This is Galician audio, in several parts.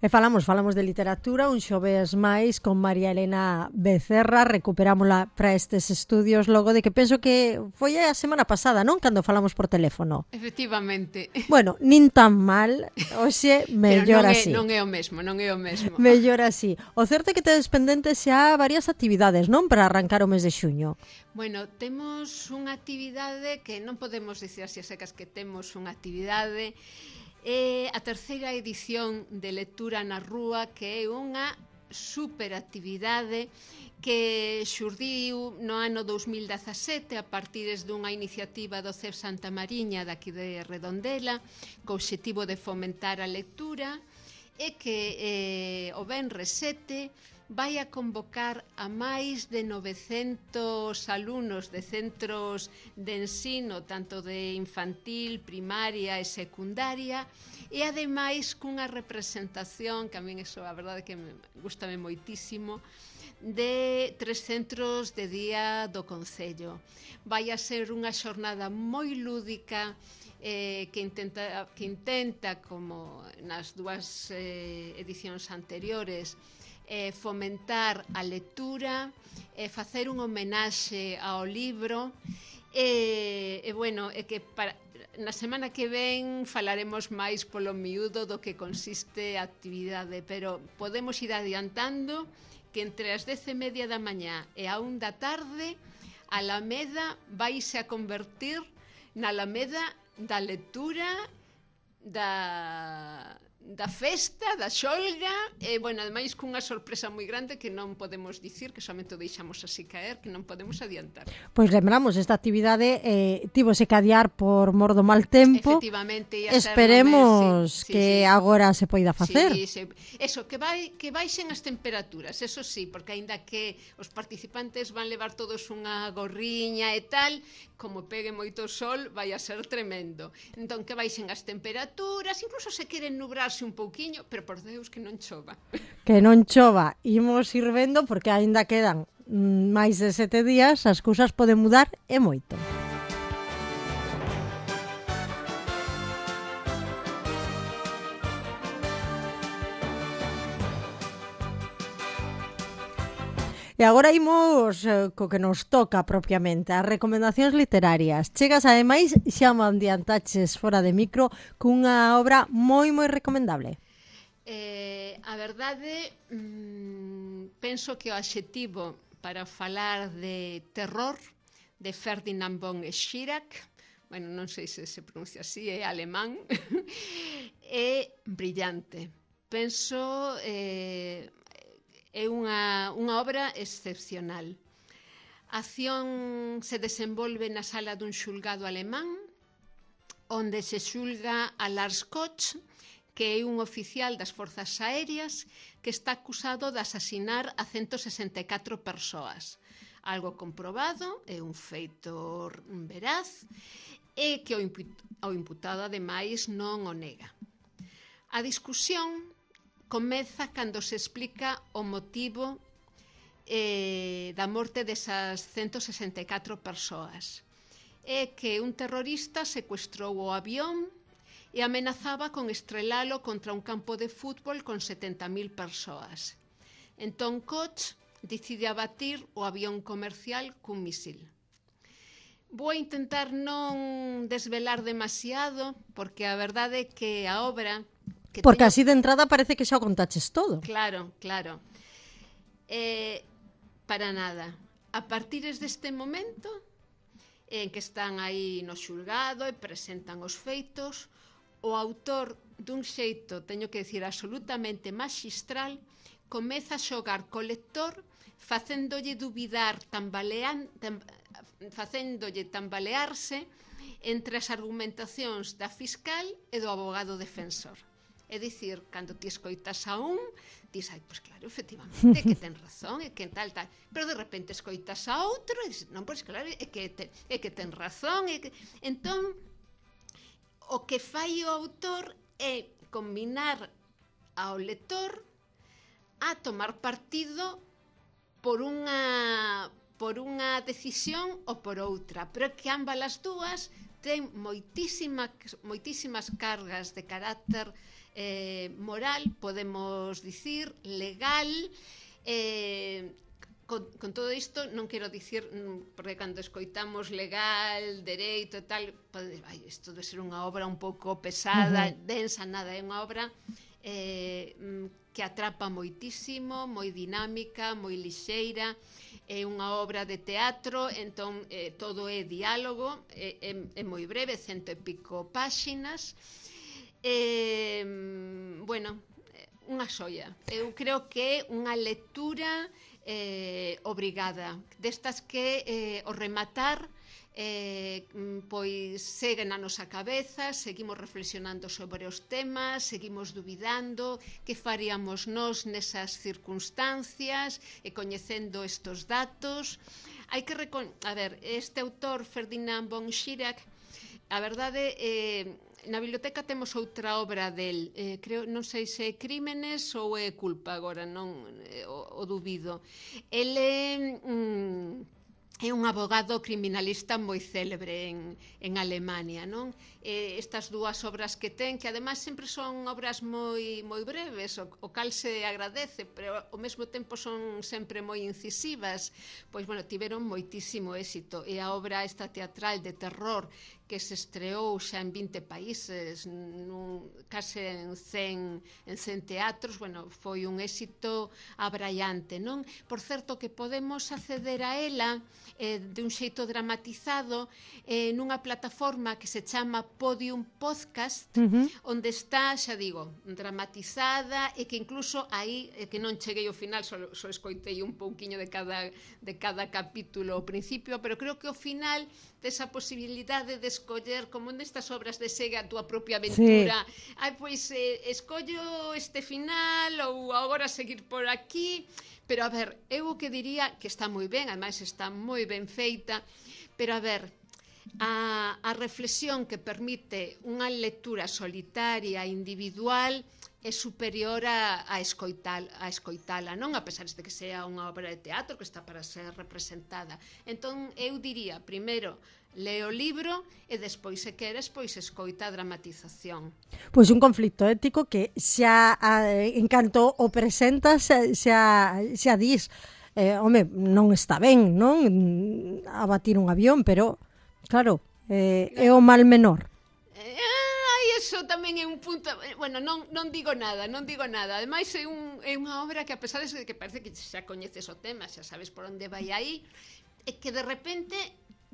E falamos de literatura un xoves máis con María Elena Becerra, recuperámola para estes estudios logo de que penso que foi a semana pasada, non? Cando falamos por teléfono. Efectivamente. Bueno, nin tan mal, hoxe mellor así. Pero non é o mesmo. Mellor así. O certo é que tedes pendentes xa varias actividades, non? Para arrancar o mes de xuño. Bueno, temos unha actividade que non podemos dicir así a secas que temos unha actividade. É a terceira edición de Lectura na Rúa, que é unha superactividade que xurdiu no ano 2017 a partir dunha iniciativa do CEF Santa Mariña daqui de Redondela, co obxectivo de fomentar a lectura, e que o venres 7 vai a convocar a máis de 900 alumnos de centros de ensino, tanto de infantil, primaria e secundaria, e ademais cunha representación, que a min iso a verdade que gustame moitísimo, de 3 centros de día do Concello. Vai a ser unha xornada moi lúdica, que intenta, como nas dúas edicións anteriores, fomentar a lectura, facer un homenaxe ao libro, bueno, que na semana que ven falaremos máis polo miúdo do que consiste a actividade, pero podemos ir adiantando que entre as 10:30 da mañá e a 1 da tarde a Alameda vaise a convertir na Alameda da lectura, da festa, da xolga, e, bueno, ademais cunha sorpresa moi grande que non podemos dicir, que somente o deixamos así caer, que non podemos adiantar. Pois lembramos, esta actividade tívose que adiar por mor do mal tempo. Efectivamente, esperemos que agora se poida facer. Sí. Eso, que baixen as temperaturas, eso sí, porque aínda que os participantes van levar todos unha gorriña e tal, como pegue moito sol, vai a ser tremendo. Entón, que baixen as temperaturas, incluso se queren nubrarse un pouquiño, pero por Deus que non chova. Que non chova, imos ir vendo, porque aínda quedan máis de 7 días, as cousas poden mudar e moito. E agora imos co que nos toca propiamente, as recomendacións literarias. Chegas ademais, xa me adiantaches fora de micro, cunha obra moi recomendable. A verdade, penso que o adxetivo para falar de terror de Ferdinand von Schirach, bueno, non sei se se pronuncia así, é alemán, é brillante. Penso é unha obra excepcional. A acción se desenvolve na sala dun xulgado alemán, onde se xulga a Lars Koch, que é un oficial das forzas aéreas que está acusado de asasinar a 164 persoas. Algo comprobado, é un feito veraz, e que o imputado, ademais, non o nega. A discusión comeza cando se explica o motivo da morte desas 164 persoas. É que un terrorista secuestrou o avión e amenazaba con estrelalo contra un campo de fútbol con 70.000 persoas. Entón Koch decide abatir o avión comercial cun misil. Vou intentar non desvelar demasiado, porque a verdade é que a obra... Porque así de entrada parece que xa o contaches todo. Claro. Para nada. A partir deste momento en que están aí no xulgado e presentan os feitos, o autor, dun xeito, teño que dicir, absolutamente maxistral, comeza a xogar co lector, facéndolle dubidar, facéndolle tambalearse entre as argumentacións da fiscal e do abogado defensor. É dicir, cando ti escoitas a un, dis, pois claro, efectivamente, que ten razón, e que tal. Pero de repente escoitas a outro e dis, non, pois claro, é que ten razón. Entón, o que fai o autor é combinar ao lector a tomar partido por unha decisión ou por outra, pero que ambas as dúas ten moitísimas cargas de carácter moral, podemos dicir, legal, con todo isto non quero dicir, porque cando escoitamos legal, dereito e tal, pode dicir, isto debe ser unha obra un pouco pesada, densa, nada, é unha obra que atrapa moitísimo, moi dinámica, moi lixeira, é unha obra de teatro, entón todo é diálogo, é moi breve, 100 e pico páxinas, bueno, unha xoia. Eu creo que é unha lectura obrigada, destas que o rematar pois segue na nosa cabeza, seguimos reflexionando sobre os temas, seguimos dubidando que faríamos nós nesas circunstancias e coñecendo estes datos. Hai que a ver, este autor Ferdinand von Schirach, a verdade na biblioteca temos outra obra del, creo, non sei se é Crímenes ou é Culpa agora, non o dubido. Ele é un abogado criminalista moi célebre en Alemania, non? Estas dúas obras que ten, que ademais sempre son obras moi breves, o cal se agradece, pero ao mesmo tempo son sempre moi incisivas, pois, bueno, tiveron moitísimo éxito. E a obra esta teatral de terror que se estreou xa en 20 países, case en 100 teatros, bueno, foi un éxito abraiante, non? Por certo, que podemos acceder a ela de un xeito dramatizado nunha plataforma que se chama Podium Podcast, onde está, xa digo, dramatizada, e que incluso aí, que non cheguei ao final, só escoitei un pouquiño de cada capítulo ao principio, pero creo que ao final desa posibilidade de escoller, como nestas obras de Sega, a túa propia aventura. Pois escollo este final ou agora seguir por aquí. Pero, a ver, eu o que diría que está moi ben, ademais está moi ben feita, pero, a ver, a reflexión que permite unha lectura solitaria, individual, é superior a escoitala, non? A pesar de que sea unha obra de teatro que está para ser representada. Entón, eu diría, primeiro, lee o libro e despois, se queres, pois escoita a dramatización. Pois un conflito ético que xa en canto o presentas xa dis, home, non está ben, non? Abatir un avión, pero claro, é o mal menor. Eso tamén é un punto, bueno, non digo nada. Ademais é unha obra que, a pesar de que parece que xa coñeces o tema, xa sabes por onde vai aí, é que de repente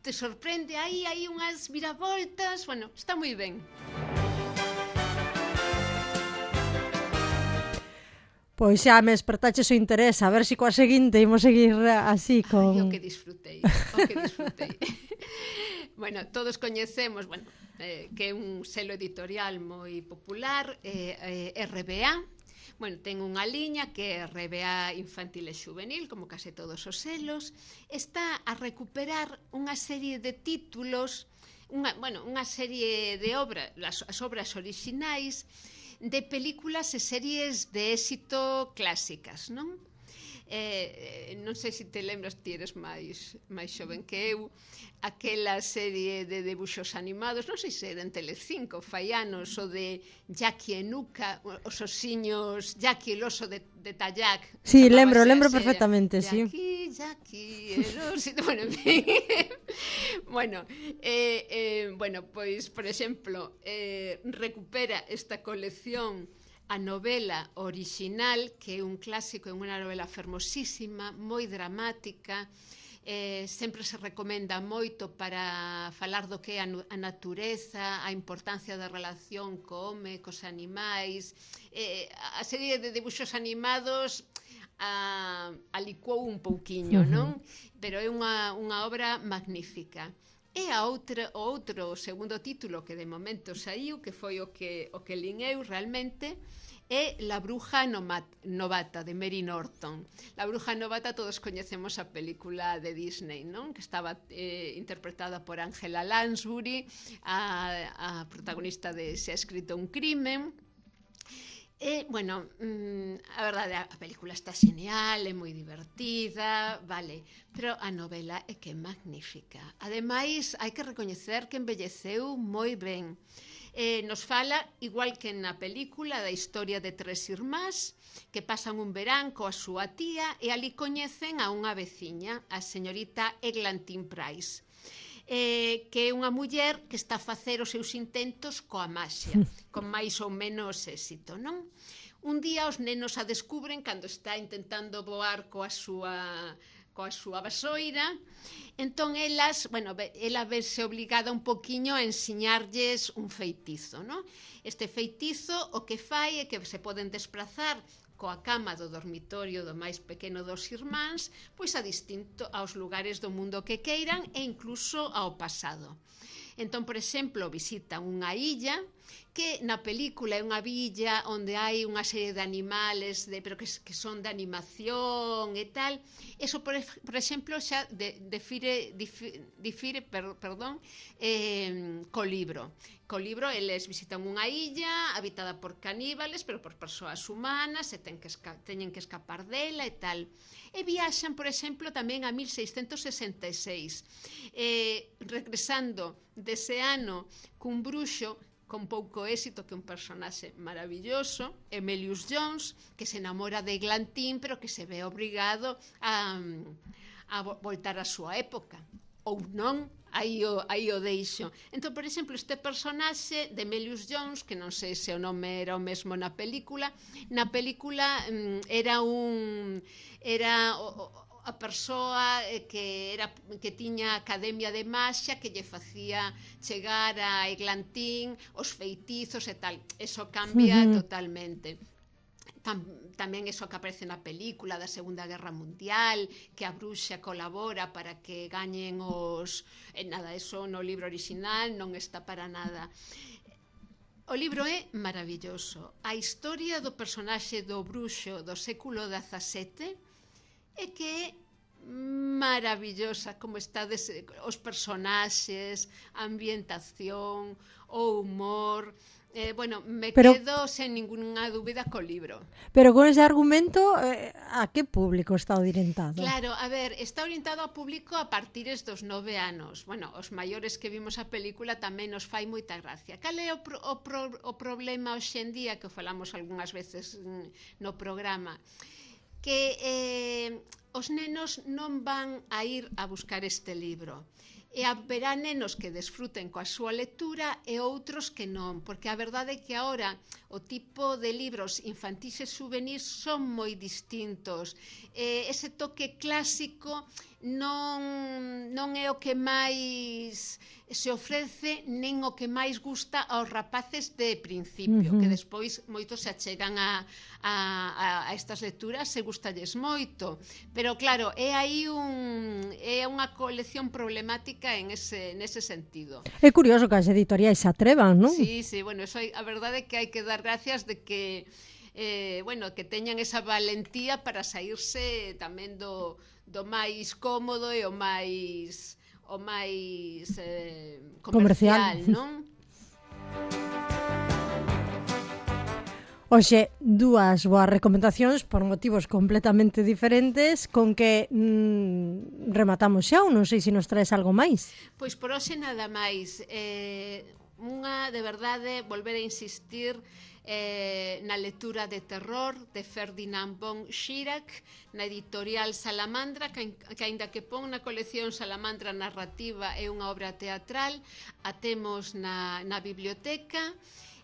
te sorprende aí unhas viravoltas, bueno, está moi ben. Pois xa me despertaches o interés, a ver se coa seguinte imos seguir así con... O que disfrutei. Bueno, todos coñecemos, bueno, que é un selo editorial moi popular, RBA. Bueno, ten unha liña que é RBA Infantil e Xuvenil, como case todos os selos. Está a recuperar unha serie de títulos, unha serie de obras, as obras orixinais de películas e series de éxito clásicas, non? Non sei se te lembras, ti eres máis xoven que eu, aquela serie de debuxos animados, non sei se era en Telecinco, fai anos, o de Jackie e Nuka, os osiños Jackie, el oso de Tallac. Sí, lembro perfectamente, sí. Jackie, el oso, bueno, en fin. Bueno, pois, por exemplo, recupera esta colección a novela orixinal, que é un clásico, é unha novela fermosísima, moi dramática, sempre se recomenda moito para falar do que é a natureza, a importancia da relación co home, cos animais. A serie de debuxos animados a licuou un pouquiño, non? Pero é unha obra magnífica. E o outro segundo título que de momento saiu, que foi o que lin eu realmente, é La bruja novata, de Mary Norton. La bruja novata, todos coñecemos a película de Disney, non? Que estaba interpretada por Angela Lansbury, a protagonista de Se ha escrito un crimen. Bueno, a verdade, a película está genial, é moi divertida, vale, pero a novela é que é magnífica. Ademais, hai que recoñecer que envelleceu moi ben. Nos fala, igual que na película, da historia de tres irmás que pasan un verán coa súa tía e ali coñecen a unha veciña, a señorita Eglantine Price, que é unha muller que está a facer os seus intentos coa maxia, con máis ou menos éxito, non? Un día os nenos a descubren cando está intentando voar coa súa vasoira. Entón ela vese obligada un poquiño a ensiñarlles un feitizo, non? Este feitizo o que fai é que se poden desplazar coa cama do dormitorio do máis pequeno dos irmáns, pois aos lugares do mundo que queiran e incluso ao pasado. Entón, por exemplo, visitan unha illa que na película é unha villa onde hai unha serie de animales pero que son de animación e tal. Eso, por exemplo, xa difire co libro. Co libro, eles visitan unha illa habitada por caníbales, pero por persoas humanas, e teñen que escapar dela e tal. E viaxan, por exemplo, tamén a 1666, regresando dese ano cun bruxo con pouco éxito, que é un personaxe maravilloso, Emelius Jones, que se enamora de Eglantine, pero que se ve obrigado a voltar á súa época. Ou non, aí o deixo. Entón, por exemplo, este personaxe de Emelius Jones, que non sei se o nome era o mesmo na película era a persoa que tiña academia de maxia, que lle facía chegar a Eglantine os feitizos e tal. Eso cambia totalmente. Tamén eso que aparece na película da Segunda Guerra Mundial, que a bruxa colabora para que gañen os... nada, eso no libro original non está para nada. O libro é maravilloso. A historia do personaxe do bruxo do século XVII é que é maravillosa, como está os personaxes, a ambientación, o humor. Quedo sen ninguna dúbida co libro. Pero con ese argumento, a que público está orientado? Claro, a ver, está orientado ao público a partires dos 9 anos. Bueno, os maiores que vimos a película tamén nos fai moita gracia. Cal é o problema hoxe en día, que falamos algunhas veces no programa? Que os nenos non van a ir a buscar este libro. E haberá nenos que desfruten coa súa lectura e outros que non, porque a verdade é que agora o tipo de libros infantís e juvenís son moi distintos. Ese toque clásico non é o que máis se ofrece, nen o que máis gusta aos rapaces de principio, que despois moitos se achegan a estas lecturas e gustalles moito. Pero claro, é aí unha colección problemática nese sentido. É curioso que as editoriais se atrevan, non? Sí, bueno, a verdade é que hai que dar gracias de que que teñan esa valentía para saírse tamén do máis cómodo e o máis comercial, non? Oxe, dúas boas recomendacións por motivos completamente diferentes, con que rematamos xa, ou non sei se nos traes algo máis. Pois por hoxe nada máis. Unha, de verdade, volver a insistir na lectura de terror de Ferdinand von Schirach, na editorial Salamandra, que aínda que pon na colección Salamandra Narrativa é unha obra teatral, a temos na biblioteca,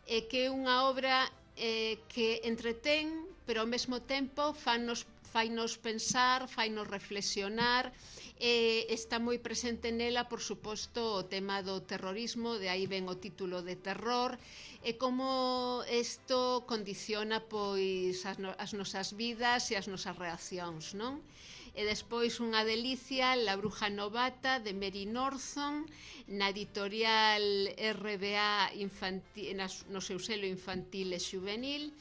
que é unha obra que entretén, pero ao mesmo tempo fainos pensar, fainos reflexionar. Está moi presente nela, por suposto, o tema do terrorismo, de aí ven o título de terror, e como isto condiciona pois as nosas vidas e as nosas reaccións, non? E despois unha delicia, La bruja novata, de Mary Norton, na editorial RBA no seu selo infantil e juvenil,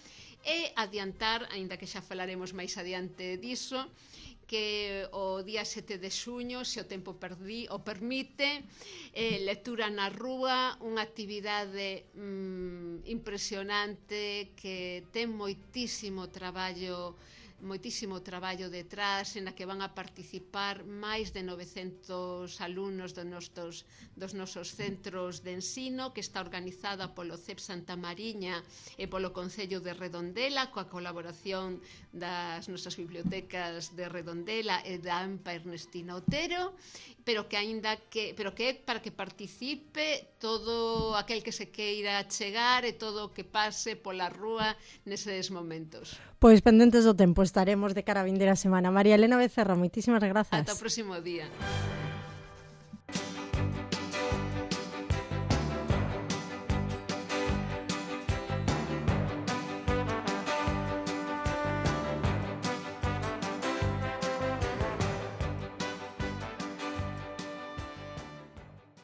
e adiantar, aínda que xa falaremos máis adiante diso, que o día 7 de xuño, se o tempo o permite, lectura na rúa, unha actividade impresionante que ten moitísimo traballo detrás, en a que van a participar máis de 900 alumnos dos nosos centros de ensino, que está organizada polo CEP Santa Mariña e polo Concello de Redondela, coa colaboración das nosas bibliotecas de Redondela e da AMPA Ernestina Otero, pero que é para que participe todo aquel que se queira chegar e todo o que pase pola rúa neses momentos. Pois pendentes do tempo estaremos de cara a vindeira semana. María Elena Becerra, moitísimas grazas. Ata o próximo día.